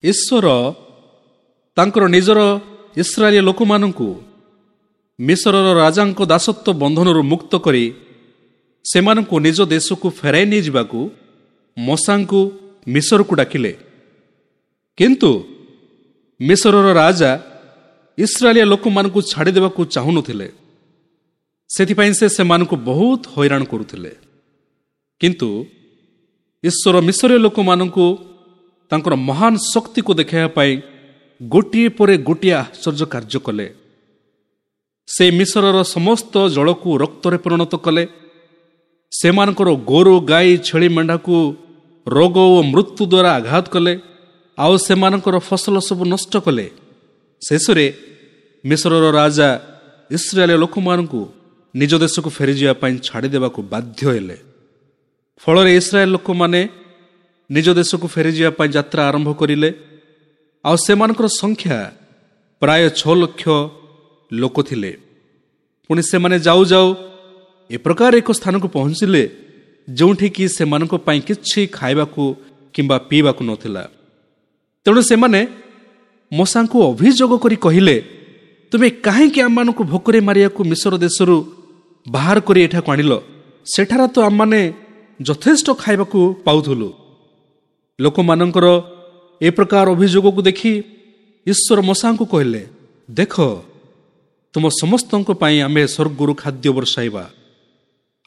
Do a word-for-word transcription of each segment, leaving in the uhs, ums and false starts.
ଈଶ୍ୱର ତାଙ୍କର ନିଜର ଇସ୍ରାଏଲୀୟ ଲୋକମାନଙ୍କୁ ମିଶରର ରାଜାଙ୍କ ଦାସତ୍ୱ ବନ୍ଧନରୁ ମୁକ୍ତ କରି ସେମାନଙ୍କୁ ନିଜ ଦେଶକୁ ଫେରାଇ ନେଇଯିବାକୁ ମୋଶାଙ୍କୁ ମିଶରକୁ ଡାକିଲେ। କିନ୍ତୁ ମିଶରର ରାଜା ଇସ୍ରାଏଲୀୟ ଲୋକମାନଙ୍କୁ ଛାଡ଼ିଦେବାକୁ ଚାହୁଁନଥିଲେ। ସେଥିପାଇଁ ସେ ସେମାନଙ୍କୁ ବହୁତ ହଇରାଣ କରୁଥିଲେ। କିନ୍ତୁ ଈଶ୍ୱର ମିଶରୀୟ ଲୋକମାନଙ୍କୁ ତାଙ୍କର ମହାନ ଶକ୍ତିକୁ ଦେଖାଇବା ପାଇଁ ଗୋଟିଏ ପରେ ଗୋଟିଏ ଆଶ୍ଚର୍ଯ୍ୟ କାର୍ଯ୍ୟ କଲେ। ସେ ମିଶରର ସମସ୍ତ ଜଳକୁ ରକ୍ତରେ ପରିଣତ କଲେ। ସେମାନଙ୍କର ଗୋରୁ, ଗାଈ, ଛେଳି, ମେଣ୍ଢାକୁ ରୋଗ ଓ ମୃତ୍ୟୁ ଦ୍ୱାରା ଆଘାତ କଲେ ଆଉ ସେମାନଙ୍କର ଫସଲ ସବୁ ନଷ୍ଟ କଲେ। ଶେଷରେ ମିଶରର ରାଜା ଇସ୍ରାଏଲୀୟ ଲୋକମାନଙ୍କୁ ନିଜ ଦେଶକୁ ଫେରିଯିବା ପାଇଁ ଛାଡ଼ିଦେବାକୁ ବାଧ୍ୟ ହେଲେ। ଫଳରେ ଇସ୍ରାଏଲ ଲୋକମାନେ ନିଜ ଦେଶକୁ ଫେରିଯିବା ପାଇଁ ଯାତ୍ରା ଆରମ୍ଭ କରିଲେ ଆଉ ସେମାନଙ୍କର ସଂଖ୍ୟା ପ୍ରାୟ ଛଅ ଲକ୍ଷ ଲୋକ ଥିଲେ। ପୁଣି ସେମାନେ ଯାଉ ଯାଉ ଏ ପ୍ରକାର ଏକ ସ୍ଥାନକୁ ପହଞ୍ଚିଲେ ଯେଉଁଠିକି ସେମାନଙ୍କ ପାଇଁ କିଛି ଖାଇବାକୁ କିମ୍ବା ପିଇବାକୁ ନଥିଲା। ତେଣୁ ସେମାନେ ମୋଶାଙ୍କୁ ଅଭିଯୋଗ କରି କହିଲେ, ତୁମେ କାହିଁକି ଆମମାନଙ୍କୁ ଭୋକରେ ମାରିବାକୁ ମିଶର ଦେଶରୁ ବାହାର କରି ଏଠାକୁ ଆଣିଲ? ସେଠାରେ ତ ଆମମାନେ ଯଥେଷ୍ଟ ଖାଇବାକୁ ପାଉଥିଲୁ। ଲୋକମାନଙ୍କର ଏ ପ୍ରକାର ଅଭିଯୋଗକୁ ଦେଖି ଈଶ୍ୱର ମୋଶାଙ୍କୁ କହିଲେ, ଦେଖ, ତୁମ ସମସ୍ତଙ୍କ ପାଇଁ ଆମେ ସ୍ୱର୍ଗରୁ ଖାଦ୍ୟ ବର୍ଷାଇବା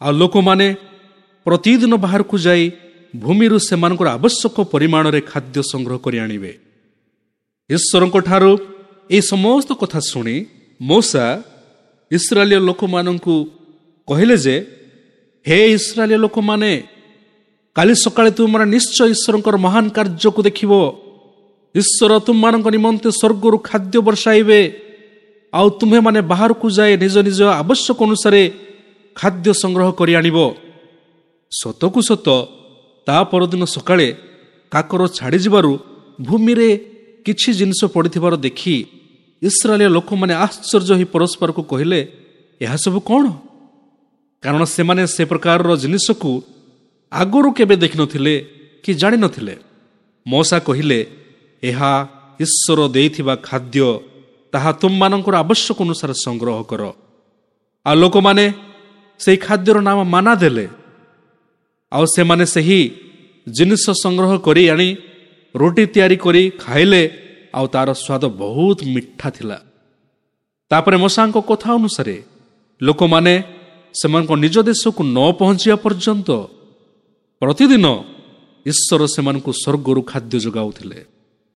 ଆଉ ଲୋକମାନେ ପ୍ରତିଦିନ ବାହାରକୁ ଯାଇ ଭୂମିରୁ ସେମାନଙ୍କର ଆବଶ୍ୟକ ପରିମାଣରେ ଖାଦ୍ୟ ସଂଗ୍ରହ କରି ଆଣିବେ। ଈଶ୍ୱରଙ୍କ ଠାରୁ ଏହି ସମସ୍ତ କଥା ଶୁଣି ମୋଶା ଇସ୍ରାଏଲୀୟ ଲୋକମାନଙ୍କୁ କହିଲେ ଯେ, ହେ ଇସ୍ରାଏଲୀୟ ଲୋକମାନେ, କାଲି ସକାଳେ ତୁମମାନେ ନିଶ୍ଚୟ ଈଶ୍ୱରଙ୍କର ମହାନ କାର୍ଯ୍ୟକୁ ଦେଖିବ। ଈଶ୍ୱର ତୁମମାନଙ୍କ ନିମନ୍ତେ ସ୍ୱର୍ଗରୁ ଖାଦ୍ୟ ବର୍ଷାଇବେ ଆଉ ତୁମ୍ଭେମାନେ ବାହାରକୁ ଯାଇ ନିଜ ନିଜ ଆବଶ୍ୟକ ଅନୁସାରେ ଖାଦ୍ୟ ସଂଗ୍ରହ କରି ଆଣିବ। ସତକୁ ସତ ତା ପରଦିନ ସକାଳେ କାକର ଛାଡ଼ିଯିବାରୁ ଭୂମିରେ କିଛି ଜିନିଷ ପଡ଼ିଥିବାର ଦେଖି ଇସ୍ରାଏଲୀୟ ଲୋକମାନେ ଆଶ୍ଚର୍ଯ୍ୟ ହୋଇ ପରସ୍ପରକୁ କହିଲେ, ଏହା ସବୁ କ'ଣ? କାରଣ ସେମାନେ ସେ ପ୍ରକାରର ଜିନିଷକୁ ଆଗରୁ କେବେ ଦେଖିନଥିଲେ କି ଜାଣିନଥିଲେ। ମୋଶା କହିଲେ, ଏହା ଈଶ୍ୱର ଦେଇଥିବା ଖାଦ୍ୟ, ତାହା ତୁମମାନଙ୍କର ଆବଶ୍ୟକ ଅନୁସାରେ ସଂଗ୍ରହ କର। ଆଉ ଲୋକମାନେ ସେହି ଖାଦ୍ୟର ନାମ ମାନା ଦେଲେ। ଆଉ ସେମାନେ ସେହି ଜିନିଷ ସଂଗ୍ରହ କରି ଆଣି ରୁଟି ତିଆରି କରି ଖାଇଲେ ଆଉ ତାର ସ୍ୱାଦ ବହୁତ ମିଠା ଥିଲା। ତାପରେ ମୋଶାଙ୍କ କଥା ଅନୁସାରେ ଲୋକମାନେ ସେମାନଙ୍କ ନିଜ ଦେଶକୁ ନ ପହଞ୍ଚିବା ପର୍ଯ୍ୟନ୍ତ ପ୍ରତିଦିନ ଈଶ୍ୱର ସେମାନଙ୍କୁ ସ୍ୱର୍ଗରୁ ଖାଦ୍ୟ ଯୋଗାଉଥିଲେ।